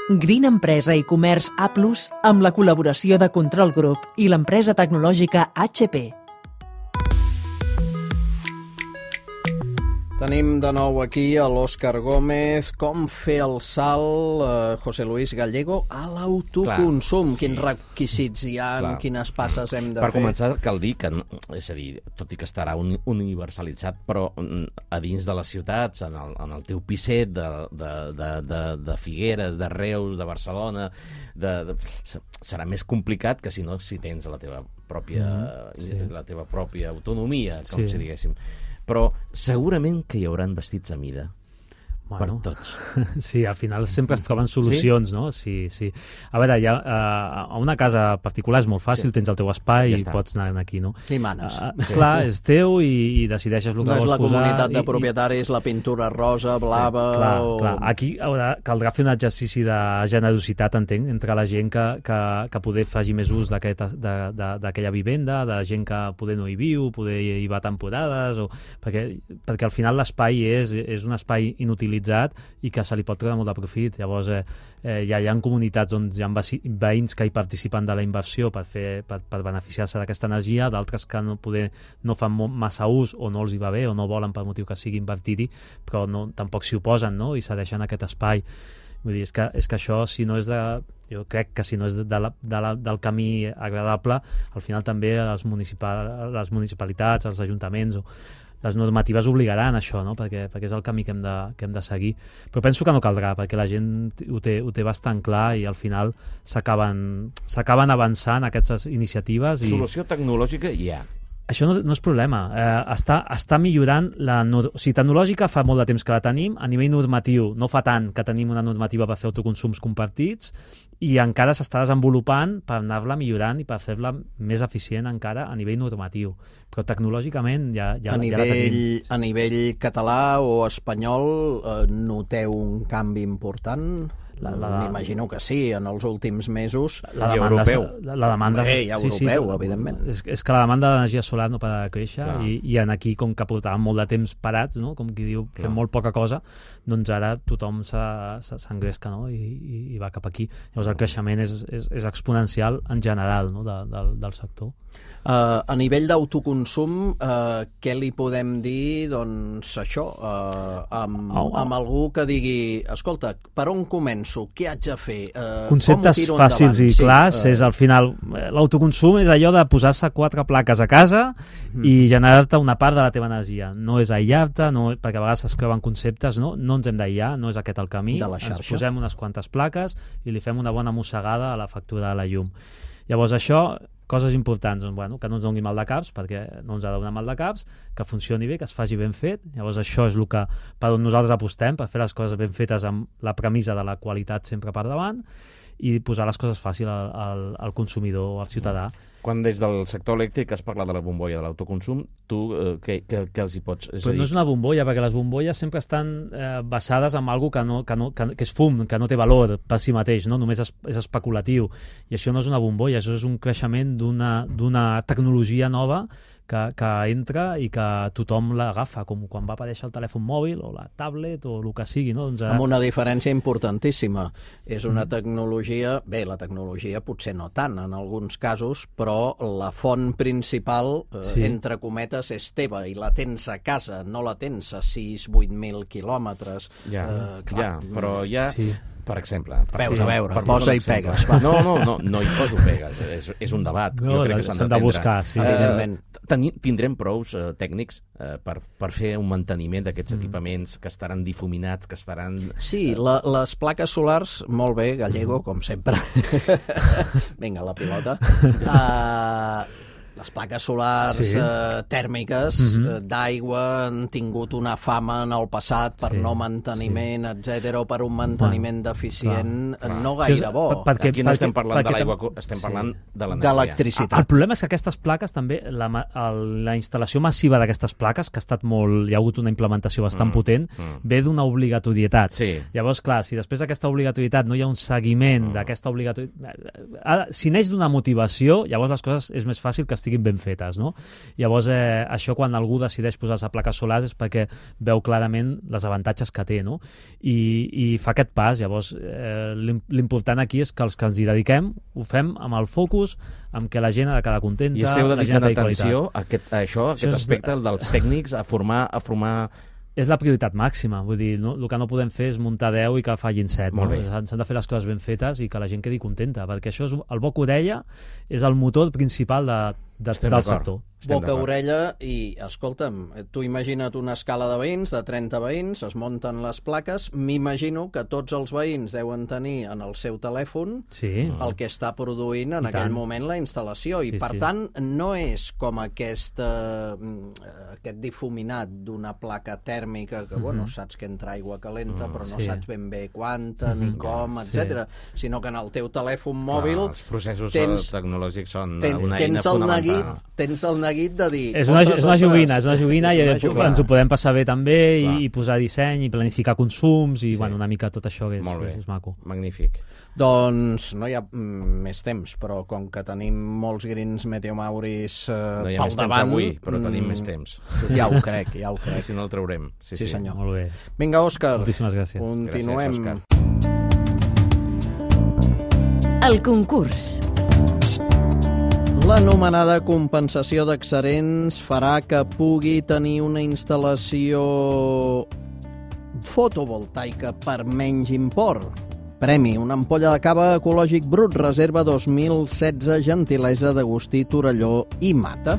Green Empresa i Comerç A+, amb la col·laboració de Control Group i l'empresa tecnològica HP. Tenim de nou aquí a l'Òscar Gómez. Com fer el salt, José Luis Gallego, a l'autoconsum? Quins requisits hi ha, quines passes hem de fer? Per començar, cal dir que, és a dir, tot i que estarà universalitzat, però a dins de les ciutats, en el teu pisset de Figueres, de Reus, de Barcelona, serà més complicat que si tens la teva pròpia autonomia, com si diguéssim. Però segurament que hi haurà vestits a mida per tots. Sí, al final sempre es troben solucions, no? Sí. A veure, a una casa particular és molt fàcil, tens el teu espai i pots anar aquí, no? I manes. Clar, és teu i decideixes el que vols posar. No és la comunitat de propietaris, la pintura rosa, blava... Clar. Aquí caldrà fer un exercici de generositat, entenc, entre la gent que poder faci més ús d'aquella vivenda, de gent que poder no hi viu, poder hi va temporades, perquè al final l'espai és un espai inutilitzat i que se li pot treure molt de profit. Llavors hi ha comunitats on hi ha veïns que hi participen de la inversió per beneficiar-se d'aquesta energia, d'altres que no fan massa ús o no els hi va bé o no volen per motiu que sigui invertir-hi, però tampoc s'hi oposen, no? I cedeixen aquest espai. Vull dir, és que això, si no és jo crec que si no és del camí agradable, al final també les municipalitats, els ajuntaments les normatives obligaran a això, no? perquè és el camí que hem de seguir. Però penso que no caldrà, perquè la gent ho té bastant clar i al final s'acaben avançant aquestes iniciatives. Solució tecnològica hi ha. Això no és problema. Està millorant tecnològica fa molt de temps que la tenim, a nivell normatiu no fa tant que tenim una normativa per fer autoconsums compartits i encara s'està desenvolupant per anar-la millorant i per fer-la més eficient encara a nivell normatiu. Però tecnològicament ja la tenim. A nivell català o espanyol noteu un canvi important? M'imagino que sí, en els últims mesos. La demanda europeu, evidentment. És que la demanda d'energia solar no para de créixer i aquí, com que portàvem molt de temps parats, no? Com qui diu, fem molt poca cosa, doncs ara tothom s'engresca, no? I va cap aquí. Llavors el creixement és exponencial en general, no? del sector. A nivell d'autoconsum, què li podem dir, doncs, això, amb algú que digui, escolta, per on començo? Què haig de fer? Conceptes fàcils i clars, és al final, l'autoconsum és allò de posar-se 4 plaques a casa i generar-te una part de la teva energia. No és aïllar-te, perquè a vegades es creuen conceptes, no ens hem d'aïllar, no és aquest el camí, ens posem unes quantes plaques i li fem una bona mossegada a la factura de la llum. Llavors això, coses importants, que no ens doni mal de caps, perquè no ens ha de donar mal de caps, que funcioni bé, que es faci ben fet. Llavors això és el que per on nosaltres apostem, per fer les coses ben fetes amb la premissa de la qualitat sempre per davant i posar les coses fàcil al consumidor o al ciutadà. Quan des del sector elèctric has parlat de la bombolla de l'autoconsum, tu què els hi pots... Però no és una bombolla, perquè les bombolles sempre estan basades en alguna cosa que és fum, que no té valor per si mateix, no? Només és especulatiu. I això no és una bombolla, això és un creixement d'una tecnologia nova que entra i que tothom l'agafa, com quan va aparèixer el telèfon mòbil o la tablet o el que sigui. No? Doncs amb una diferència importantíssima. És una tecnologia, la tecnologia potser no tant en alguns casos, però la font principal, entre cometes, és teva i la tens a casa, no la tens a 6-8.000 quilòmetres. Però ja... Per exemple... Veus, a veure, posa i pegues. No hi poso pegues, és un debat. Jo crec que s'han de buscar. Evidentment. Tindrem prous tècnics per fer un manteniment d'aquests equipaments que estaran difuminats, que estaran... Sí, les plaques solars, molt bé, Gallego, com sempre. Vinga, la pilota. Les plaques solars tèrmiques d'aigua han tingut una fama en el passat per no manteniment, etc., o per un manteniment deficient no gaire bo. Aquí no estem parlant de l'aigua, estem parlant de l'energia. De l'electricitat. El problema és que aquestes plaques també, la instal·lació massiva d'aquestes plaques, que ha estat hi ha hagut una implementació bastant potent, ve d'una obligatorietat. Llavors, clar, si després d'aquesta obligatorietat no hi ha un seguiment d'aquesta obligatorietat... Si neix d'una motivació, llavors les coses és més fàcil que estiguin estiguin ben fetes, no? Llavors, això quan algú decideix posar-se plaques solars és perquè veu clarament els avantatges que té, no? I fa aquest pas. Llavors, l'important aquí és que els que ens hi dediquem ho fem amb el focus, amb que la gent ha de quedar contenta. I esteu dedicant la gent atenció a aquest aspecte dels tècnics, a formar... És la prioritat màxima, vull dir, no? El que no podem fer és muntar 10 i que fallin 7. Molt no? bé. S'han de fer les coses ben fetes i que la gent quedi contenta, perquè això és el boca-orella és el motor principal del sector. Boca-orella i, escolta'm, tu imagina't una escala de veïns, de 30 veïns, es munten les plaques, m'imagino que tots els veïns deuen tenir en el seu telèfon el que està produint en aquell moment la instal·lació, i per tant no és com aquest difuminat d'una placa tèrmica que, bueno, saps que entra aigua calenta però no saps ben bé quanta ni com, etc. Sinó que en el teu telèfon mòbil els processos tecnològics són una eina tens el neguit de dir... És una joguina i ens ho podem passar bé també i posar disseny i planificar consums i una mica tot això que és maco. Magnífic. Doncs no hi ha més temps, però com que tenim molts Greens Meteomauris pel davant... No hi ha més temps avui, però tenim més temps. Ja ho crec. I si no el traurem. Sí, senyor. Molt bé. Vinga, Òscar. Moltíssimes gràcies. Continuem. Gràcies, Òscar. El concurs. L'anomenada compensació d'excedents farà que pugui tenir una instal·lació fotovoltaica per menys import. Premi, una ampolla de cava ecològic brut, reserva 2016, gentilesa d'Agustí Torelló i Mata.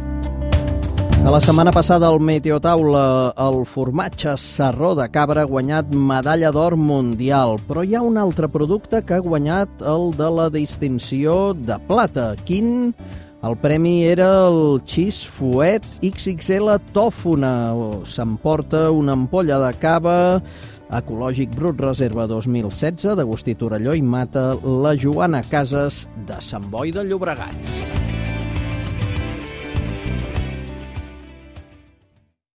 De la setmana passada al Meteotaula, el formatge Sarró de Cabra ha guanyat medalla d'or mundial, però hi ha un altre producte que ha guanyat el de la distinció de plata. Quin? El premi era el Cheese Fuet XXL Tòfona. S'emporta una ampolla de cava ecològic brut, reserva 2016, d'Agustí Torelló i Mata, la Joana Casas de Sant Boi de Llobregat.